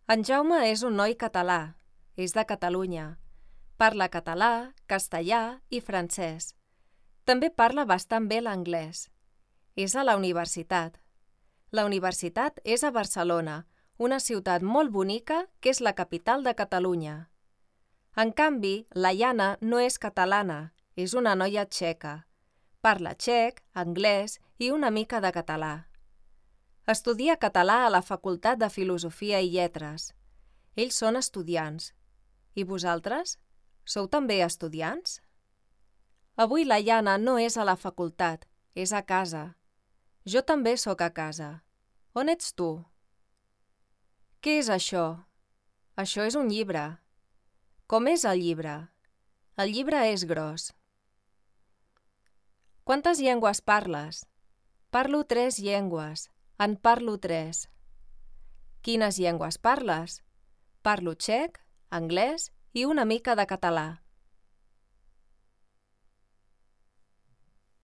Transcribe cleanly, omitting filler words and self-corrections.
En Jaume és un noi català, és de Catalunya. Parla català, castellà i francès. També parla bastant bé l'anglès. És a la universitat. La universitat és a Barcelona, una ciutat molt bonica que és la capital de Catalunya. En canvi, la Jana no és catalana, és una noia txeca. Parla txec, anglès i una mica de català. Estudia català a la Facultat de Filosofia i Lletres. Ells són estudiants. I vosaltres? Sou també estudiants? Avui la Jana no és a la facultat, és a casa. Jo també sóc a casa. On ets tu? Què és això? Això és un llibre. Com és el llibre? El llibre és gros. Quantes llengües parles? Parlo 3 llengües. En parlo 3. Quines llengües parles? Parlo txec, anglès i una mica de català.